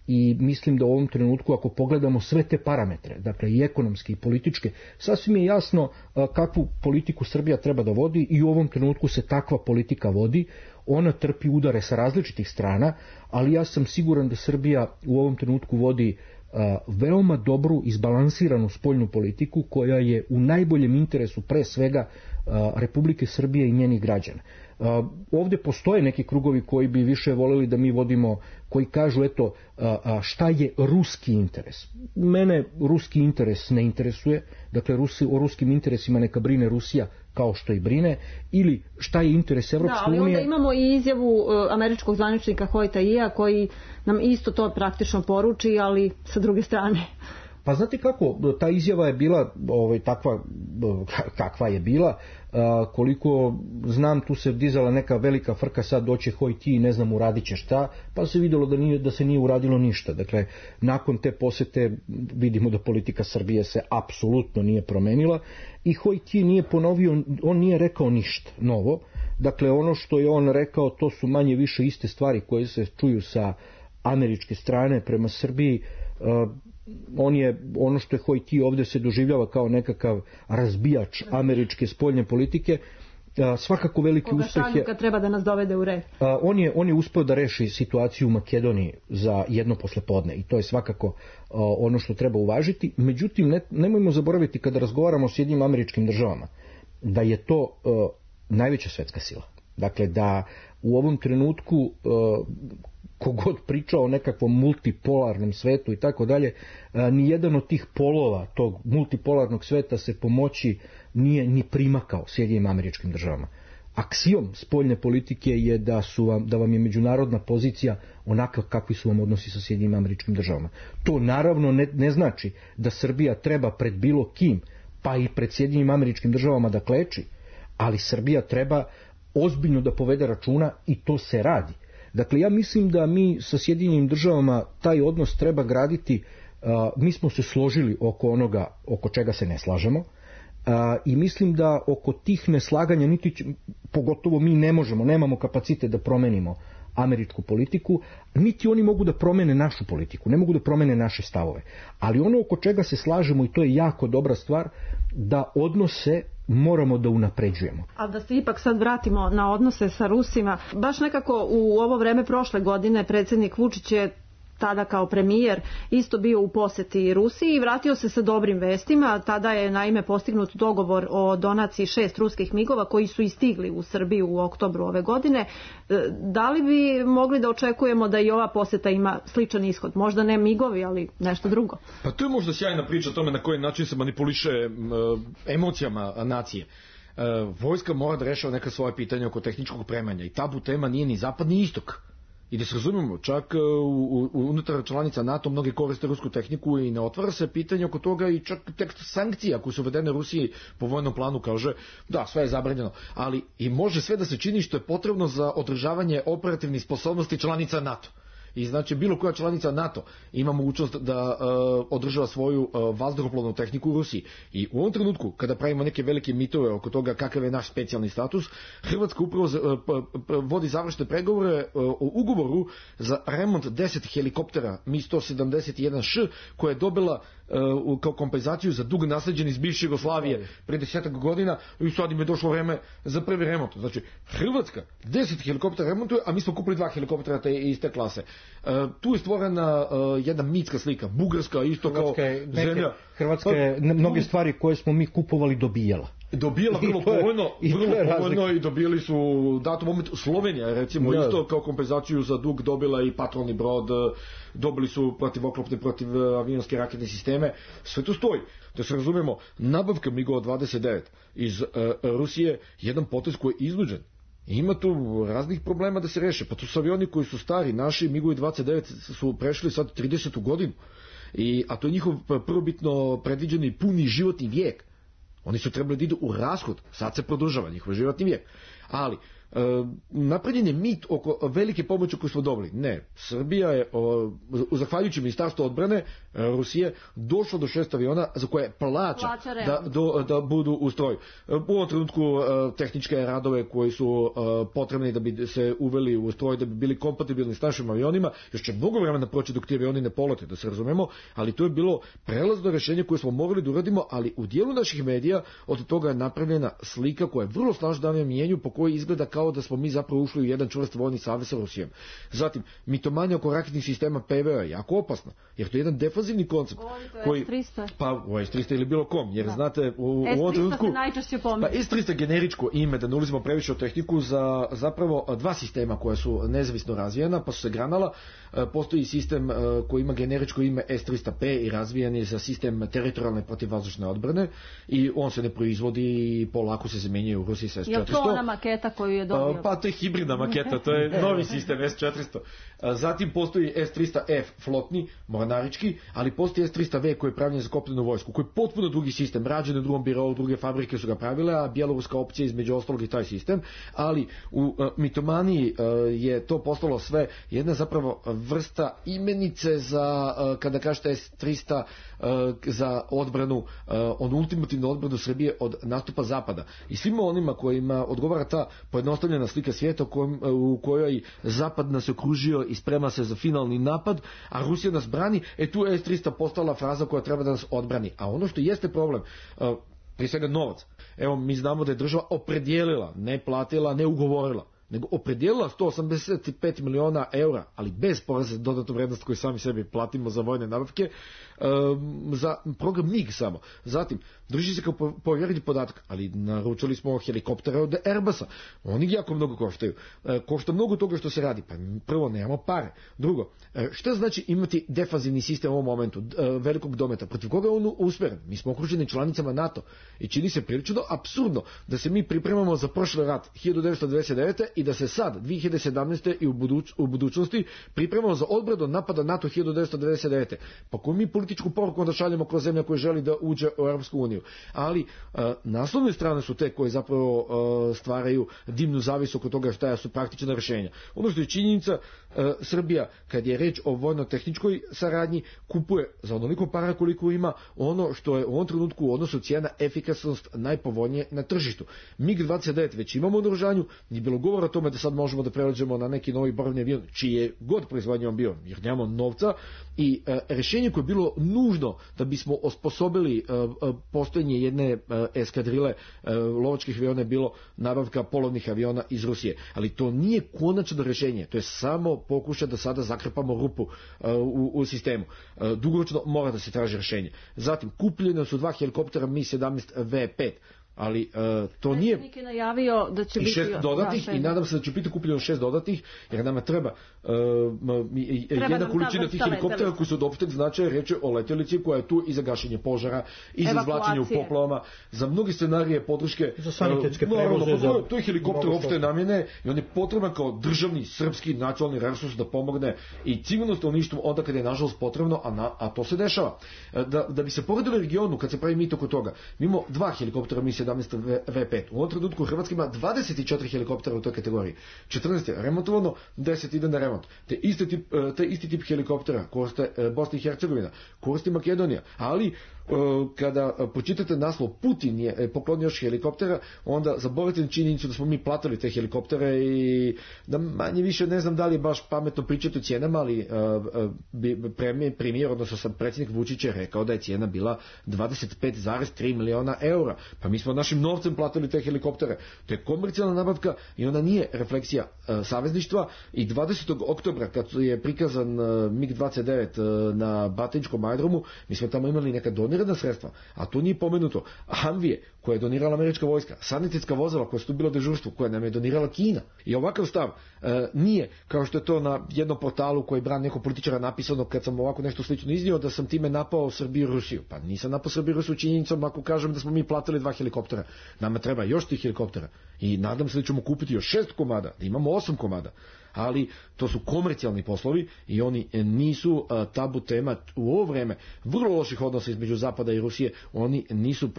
i mislim da u ovom trenutku ako pogledamo sve te parametre, dakle i ekonomske i političke, sasvim je jasno kakvu politiku Srbija treba da vodi i u ovom trenutku se takva politika vodi. Ona trpi udare sa različitih strana, ali ja sam siguran da Srbija u ovom trenutku vodi veoma dobru, izbalansiranu spoljnu politiku koja je u najboljem interesu pre svega Republike Srbije i njenih građana. Ovdje postoje neki krugovi koji bi više voljeli da mi vodimo, koji kažu eto šta je ruski interes. Mene ruski interes ne interesuje, dakle o ruskim interesima neka brine Rusija kao što i brine, ili šta je interes Evropske unije. Da, ali onda imamo i izjavu američkog zvaničnika Hoyta Ija koji nam isto to praktično poruči, ali sa druge strane. Pa znate kako, ta izjava je bila takva kakva je bila, koliko znam tu se dizala neka velika frka, sad doće Hoyt i ne znam uradit će šta, pa se vidjelo da se nije uradilo ništa. Dakle, nakon te posete vidimo da politika Srbije se apsolutno nije promenila i Hoyt nije ponovio, on nije rekao ništa novo. Dakle, ono što je on rekao to su manje više iste stvari koje se čuju sa američke strane prema Srbiji. On je, ono što je Hoyt ovdje se doživljava kao nekakav razbijač američke spoljne politike, svakako veliki uspjeh je... Koga treba da nas dovede u red. On je uspio da reši situaciju u Makedoniji za jedno poslepodne i to je svakako ono što treba uvažiti. Međutim, nemojmo zaboraviti kada razgovaramo o Sjedinjenim Američkim Državama da je to najveća svetska sila. Dakle, da u ovom trenutku kogod pričao o nekakvom multipolarnom svetu i tako dalje, nijedan od tih polova tog multipolarnog sveta se po moći nije ni primakao Sjedinjenim Američkim Državama. Aksijom spoljne politike je da vam je međunarodna pozicija onakva kakvi su vam odnosi sa Sjedinjenim Američkim Državama. To naravno ne znači da Srbija treba pred bilo kim, pa i pred Sjedinjenim Američkim Državama da kleči, ali Srbija treba ozbiljno da povede računa i to se radi. Dakle, ja mislim da mi sa Sjedinjenim Državama taj odnos treba graditi, mi smo se složili oko onoga oko čega se ne slažemo i mislim da oko tih neslaganja pogotovo mi nemamo kapacitet da promenimo američku politiku, niti oni mogu da promene našu politiku, ne mogu da promene naše stavove. Ali ono oko čega se slažemo, i to je jako dobra stvar, da odnose moramo da unapređujemo. Ali da se ipak sad vratimo na odnose sa Rusima, baš nekako u ovo vreme prošle godine predsjednik Vučić je tada kao premijer isto bio u posjeti Rusiji i vratio se sa dobrim vestima. Tada je naime postignut dogovor o donaciji 6 ruskih migova koji su i stigli u Srbiju u oktobru ove godine. Da li bi mogli da očekujemo da i ova posjeta ima sličan ishod? Možda ne migovi, ali nešto drugo. Pa to je možda sjajna priča o tome na koji način se manipuliše emocijama nacije. Vojska mora da rešava neka svoje pitanja oko tehničkog opremanja i tabu tema nije ni zapad ni istok. I da se razumemo, čak unutar članica NATO mnogi koriste rusku tehniku i ne otvara se pitanje oko toga i čak tekst sankcija koje su uvedene Rusiji po vojnom planu kaže da, sve je zabranjeno, ali i može sve da se čini što je potrebno za održavanje operativnih sposobnosti članica NATO. I znači bilo koja članica NATO ima mogućnost da održava svoju vazduhoplovnu tehniku u Rusiji. I u ovom trenutku, kada pravimo neke velike mitove oko toga kakav je naš specijalni status, Hrvatska upravo vodi završne pregovore o ugovoru za remont 10 helikoptera Mi-171Š koje je dobila kao kompenzaciju za dug nasleđen iz bivše Jugoslavije pre 10 godina i sad im je došlo vreme za prvi remont. Znači, Hrvatska 10 helikoptera remontuje, a mi smo kupili 2 helikoptera iz te klase. Tu je stvorena jedna mitska slika. Bugarska isto kao zemlja. Hrvatska je mnoge stvari koje smo mi kupovali dobijala. Dobijala vrlo povoljno i dobili su datom momentu Slovenija recimo isto kao kompenzaciju za dug dobila i patrolni brod, dobili su protivoklopne protivavionske raketne sisteme, sve to stoji. Da se razumemo, nabavka MiG-ova 29 iz Rusije jedan potez koji je iznuđen. Ima tu raznih problema da se reše, pa tu su avioni koji su stari, naši MiG-ovi 29 su prešli sad 30. godinu, a to je njihov prvobitno predviđeni puni životni vijek. Oni su trebali da idu u rashod, sad se produžava njihov životni vijek. Ali napravljen je mit oko velike pomoći koju smo dobili. Ne, Srbija je zahvaljujući Ministarstvu odbrane Rusije došla do 6 aviona za koje plaća da budu u stroju. U ovom trenutku tehničke radove koji su potrebni da bi se uveli u stroj, da bi bili kompatibilni s našim avionima, još će mnogo vremena proći dok ti avioni ne polete, da se razumemo, ali to je bilo prelazno rješenje koje smo mogli da uradimo, ali u dijelu naših medija od toga je napravljena slika koja je vrlo snažna na mijenju, po kojoj izgleda kao da smo mi zapravo ušli u jedan čvrst vojni savez sa Rusijom. Zatim, mitomanja oko raketnih sistema PVO je jako opasna, jer to je jedan defanzivni koncept. Koji, pa u S-300 ili bilo kom, jer znate u ovom trenutku pa S-300 generičko ime, da ne ulazimo previše o tehniku, za zapravo dva sistema koja su nezavisno razvijena, pa su se granala. Postoji sistem koji ima generičko ime S-300P i razvijen je za sistem teritorijalne protivvazdušne odbrane i on se ne proizvodi i polako se zamjenjuje u Rusiji sa S-400. Je to ona maketa koju je dobio? Pa to je hibridna maketa, to je novi sistem S-400. Zatim postoji S-300F flotni, mornarički, ali postoji S-300V koji je pravljen za kopnenu vojsku, koji je potpuno drugi sistem, rađen u drugom birovu, druge fabrike su ga pravile, a bjeloruska opcija između ostalog i taj sistem, ali u mitomaniji je to postalo sve jedna zapravo vrsta imenice za, kada kažete S-300 za odbranu, on ultimativnu odbranu Srbije od nastupa Zapada. I svima onima kojima odgovara ta pojednostavljena slika svijeta u kojoj Zapad nas okružio i sprema se za finalni napad, a Rusija nas brani, tu S-300 postala fraza koja treba da nas odbrani. A ono što jeste problem, prije svega novac. Evo, mi znamo da je država opredijelila, ne platila, ne ugovorila, nego opredijelila 185 miliona eura, ali bez poreza dodatnu vrednost koju sami sebi platimo za vojne nabavke, za program MiG samo. Zatim, drži se kao povjerljiv podatak, ali naručili smo helikoptere od Airbusa. Oni jako mnogo koštaju. Košta mnogo toga što se radi. Pa prvo, nemamo pare. Drugo, šta znači imati defanzivni sistem u ovom momentu, velikog dometa? Protiv koga je on usmeren? Mi smo okruženi članicama NATO i čini se prilično apsurdno da se mi pripremamo za prošli rat 1999. i da se sad, 2017. i u budućnosti pripremamo za odbranu napada NATO 1999. Pa koju mi političku poruku onda šaljemo kroz zemlja koja želi da uđe u Europsku uniju. Ali naslovne strane su te koje zapravo stvaraju dimnu zavisu oko toga šta su praktična rješenja. Ono što je činjenica, Srbija, kad je reč o vojno-tehničkoj saradnji, kupuje za onoliko para koliko ima ono što je u ovom trenutku u odnosu cijena efikasnost najpovoljnije na tržištu. MiG-29 već imamo u naoružanju, nije bilo govora o tome da sad možemo da prelađemo na neki novi borbeni avion, čiji je god proizvodnja on bio, jer nemamo novca, i rješenje koje je bilo nužno da bismo osposobili postojanje jedne eskadrile lovačkih aviona je bilo nabavka polovnih aviona iz Rusije. Ali to nije konačno rješenje, to je samo pokušaj da sada zakrpamo rupu u sistemu. Dugoročno mora da se traži rješenje. Zatim, kupljene su 2 helikoptera Mi-17V5, ali to nije... Predsjednik je najavio da će biti... 6 dodatnih i nadam se da će biti kupljeno 6 dodatnih, jer nama treba jedna količina tih helikoptera koji su od opšteg značaja, reče o letjelici koja je tu i za gašenje požara, i za izvlačenje u poplavama, za mnogi scenarije podrške, za sanitetske prevoze. To je helikopter opšte namjene i on je potreban kao državni srpski nacionalni resurs da pomogne i civilno stanovništvo onda kada je nažalost potrebno, a to se dešava. Da bi se poredili regionu, kad se pravi mit oko toga, mi imamo 2 helikoptera Mi-17V5. U ovom trenutku Hrvatska ima 24 helikoptera u toj kategoriji. 14 je remontovano, 10 ide na remont. Te isti tip helikoptera koriste Bosna i Hercegovina, koristi Makedonija, ali kada počitate naslov Putin je poklonio još helikoptera, onda zaboravite činjenicu da smo mi platili te helikoptere i da manje više ne znam da li je baš pametno pričati o cijenama, ali premijer, odnosno sam predsjednik Vučić je rekao da je cijena bila 25,3 miliona eura. Pa mi smo našim novcem platili te helikoptere. To je komercijalna nabavka i ona nije refleksija savezništva. I 20. oktobra kad je prikazan MiG-29 na Batiničkom aerodromu, mi smo tamo imali neka donirana sredstva, a to nije pomenuto. Humvije koje je donirala američka vojska, sanitetska vozila koja su tu bila dežurstvo, koje nam je donirala Kina. I ovakav stav nije, kao što je to na jednom portalu koji brani nekog političara napisano kad sam ovako nešto slično iznio, da sam time napao Srbiju i Rusiju. Pa nisam napao Srbiju i Rusiju činjenicom ako kažem da smo mi platili 2 helikoptera. Nama treba još tih helikoptera i nadam se da ćemo kupiti još 6 komada, da imamo 8 komada. ali to su komercijalni poslovi i oni nisu tabu tema u ovo vreme vrlo loših odnosa između Zapada i Rusije. Oni nisu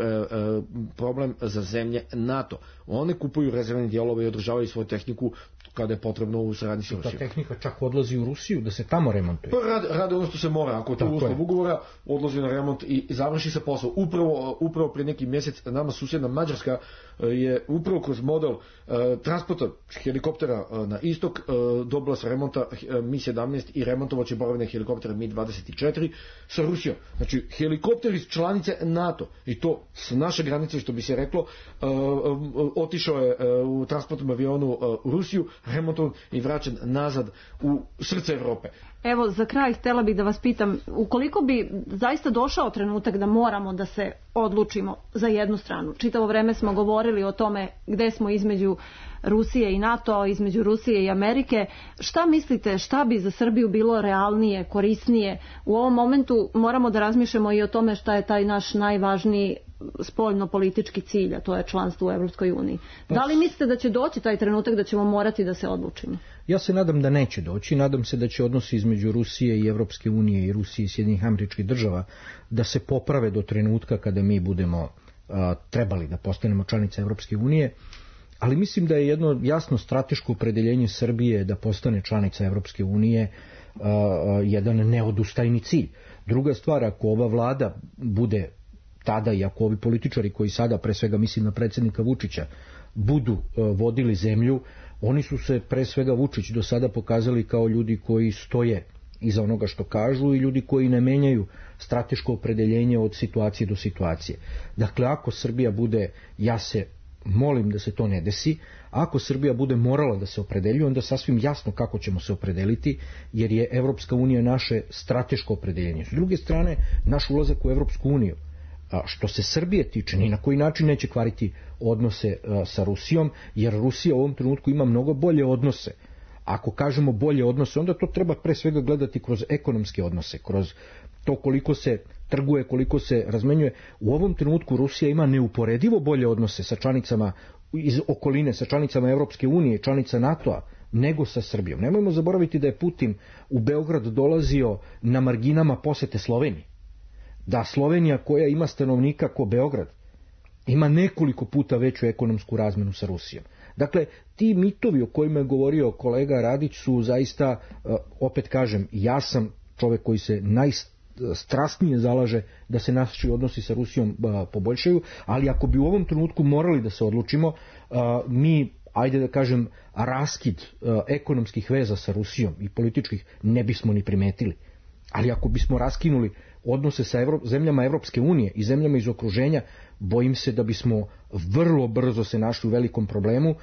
problem za zemlje NATO. One kupuju rezervne dijelove i održavaju svoju tehniku kada je potrebno u saradnji sa Rusijom. Ta tehnika čak odlazi u Rusiju da se tamo remontuje. Pa rade ono što se mora. Ako je to uslov ugovora, odlazi na remont i završi se posao. Upravo prije neki mjesec nama susjedna Mađarska je upravo kroz model transporta helikoptera na istok dobila sa remonta Mi-17 i remontovaće borbene helikoptere Mi-24 sa Rusijom. Znači, helikopter iz članice NATO i to s naše granice, što bi se reklo, otišao je u transportnom avionu u Rusiju, remontovan i vraćen nazad u srce Evrope. Evo, za kraj htjela bih da vas pitam, ukoliko bi zaista došao trenutak da moramo da se odlučimo za jednu stranu, čitavo vreme smo govorili o tome gde smo između Rusije i NATO, između Rusije i Amerike, šta mislite, šta bi za Srbiju bilo realnije, korisnije? U ovom momentu moramo da razmišljamo i o tome šta je taj naš najvažniji spoljno-politički cilj, a to je članstvo u Evropskoj uniji. Da li mislite da će doći taj trenutak da ćemo morati da se odlučimo? Ja se nadam da neće doći, nadam se da će odnosi između Rusije i Evropske unije i Rusije i Sjedinjenih Američkih Država da se poprave do trenutka kada mi budemo trebali da postanemo članica Evropske unije, ali mislim da je jedno jasno strateško opredeljenje Srbije da postane članica Evropske unije jedan neodustajni cilj. Druga stvar, ako ova vlada bude tada i ako ovi političari koji sada, pre svega mislim na predsjednika Vučića, budu vodili zemlju, oni su se, pre svega Vučić, do sada pokazali kao ljudi koji stoje iza onoga što kažu i ljudi koji ne menjaju strateško opredeljenje od situacije do situacije. Dakle, ako Srbija bude, ja se molim da se to ne desi, ako Srbija bude morala da se opredeljuje, onda sasvim jasno kako ćemo se opredeliti, jer je Evropska unija naše strateško opredeljenje. S druge strane, naš ulazak u Evropsku uniju, što se Srbije tiče, ni na koji način neće kvariti odnose sa Rusijom, jer Rusija u ovom trenutku ima mnogo bolje odnose. Ako kažemo bolje odnose, onda to treba pre svega gledati kroz ekonomske odnose, kroz to koliko se trguje, koliko se razmenjuje. U ovom trenutku Rusija ima neuporedivo bolje odnose sa članicama iz okoline, sa članicama Evropske unije, članica NATO-a, nego sa Srbijom. Nemojmo zaboraviti da je Putin u Beograd dolazio na marginama posete Sloveniji. Da Slovenija, koja ima stanovnika ko Beograd, ima nekoliko puta veću ekonomsku razmenu sa Rusijom. Dakle, ti mitovi o kojima je govorio kolega Radić su zaista, opet kažem, ja sam čovjek koji se najstrasnije zalaže da se naši odnosi sa Rusijom poboljšaju, ali ako bi u ovom trenutku morali da se odlučimo, mi, ajde da kažem, raskid ekonomskih veza sa Rusijom i političkih ne bismo ni primetili. Ali ako bismo raskinuli odnose sa zemljama Evropske unije i zemljama iz okruženja, bojim se da bismo vrlo brzo se našli u velikom problemu.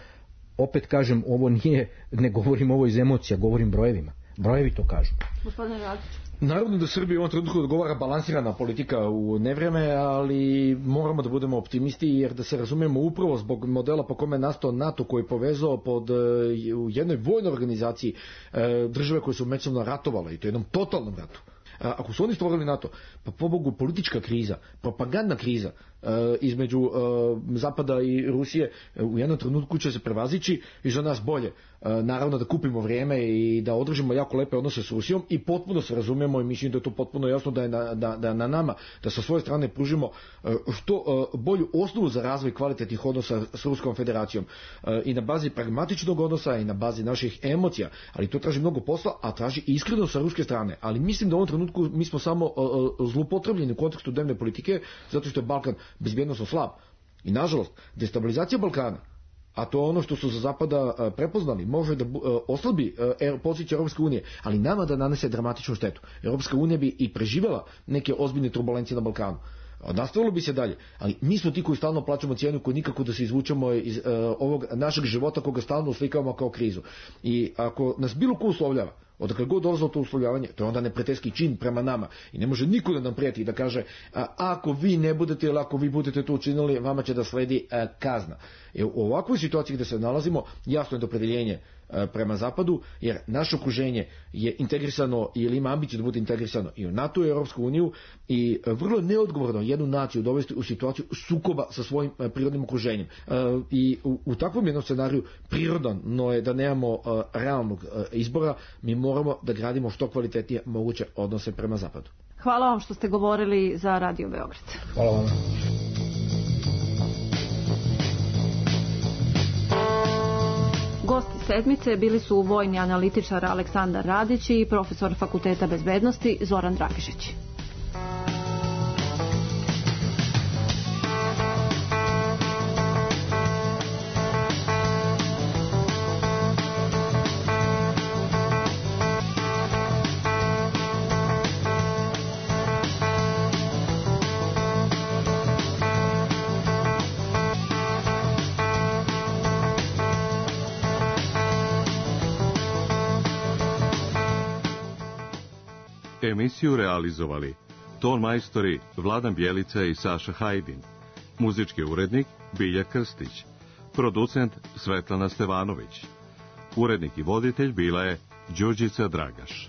Opet kažem, ovo nije, ne govorim ovo iz emocija, govorim brojevima. Brojevi to kažu. Gospodine Radić. Naravno da Srbija u ovom trenutku odgovara balansirana politika u nevreme, ali moramo da budemo optimisti, jer da se razumijemo upravo zbog modela po kome je nastao NATO, koji je povezao u jednoj vojnoj organizaciji države koje su međusobno ratovale, i to jednom totalnom ratu. Ako su oni stvorili NATO, pa pobogu politička kriza, propagandna kriza između Zapada i Rusije u jednom trenutku će se prevazići i za nas bolje. Naravno da kupimo vrijeme i da održimo jako lepe odnose s Rusijom i potpuno se razumijemo i mislim da je to potpuno jasno da je na nama da sa svoje strane pružimo što bolju osnovu za razvoj kvalitetnih odnosa s Ruskom federacijom i na bazi pragmatičnog odnosa i na bazi naših emocija, ali to traži mnogo posla, a traži iskreno sa ruske strane. Ali mislim da u ovom trenutku mi smo samo zloupotrebljeni u kontekstu dnevne politike, zato što je Balkan bezbjednosno slab. I nažalost, destabilizacija Balkana, a to je ono što su za Zapada prepoznali, može da oslabi poziciju Europske unije, ali nama da nanese dramatičnu štetu. Europska unija bi i preživjela neke ozbiljne turbulencije na Balkanu. Nastavilo bi se dalje, ali mi smo ti koji stalno plaćamo cijenu, koji nikako da se izvučemo iz ovog našeg života koga stalno uslikavamo kao krizu. I ako nas bilo ko uslovljava, odakle god dolazilo to uslovljavanje, to je onda neprijateljski čin prema nama i ne može niko da nam prijeti da kaže ako vi ne budete ili ako vi budete to učinili, vama će da sledi kazna. U ovakvoj situaciji gde se nalazimo, jasno je opredeljenje prema zapadu, jer naše okruženje je integrisano ili ima ambiciju da bude integrisano i u NATO i Europsku uniju i vrlo neodgovorno jednu naciju dovesti u situaciju sukoba sa svojim prirodnim okruženjem. I u takvom jednom scenariju prirodno je da nemamo realnog izbora, mi moramo da gradimo što kvalitetnije moguće odnose prema zapadu. Hvala vam što ste govorili za Radio Beograd. Hvala vam. Gosti sedmice bili su vojni analitičar Aleksandar Radić i profesor Fakulteta bezbednosti Zoran Dragišić. Emisiju realizovali ton majstori Vladan Bjelica i Saša Hajdin, muzički urednik Bilja Krstić, producent Svetlana Stevanović, urednik i voditelj bila je Đurđica Dragaš.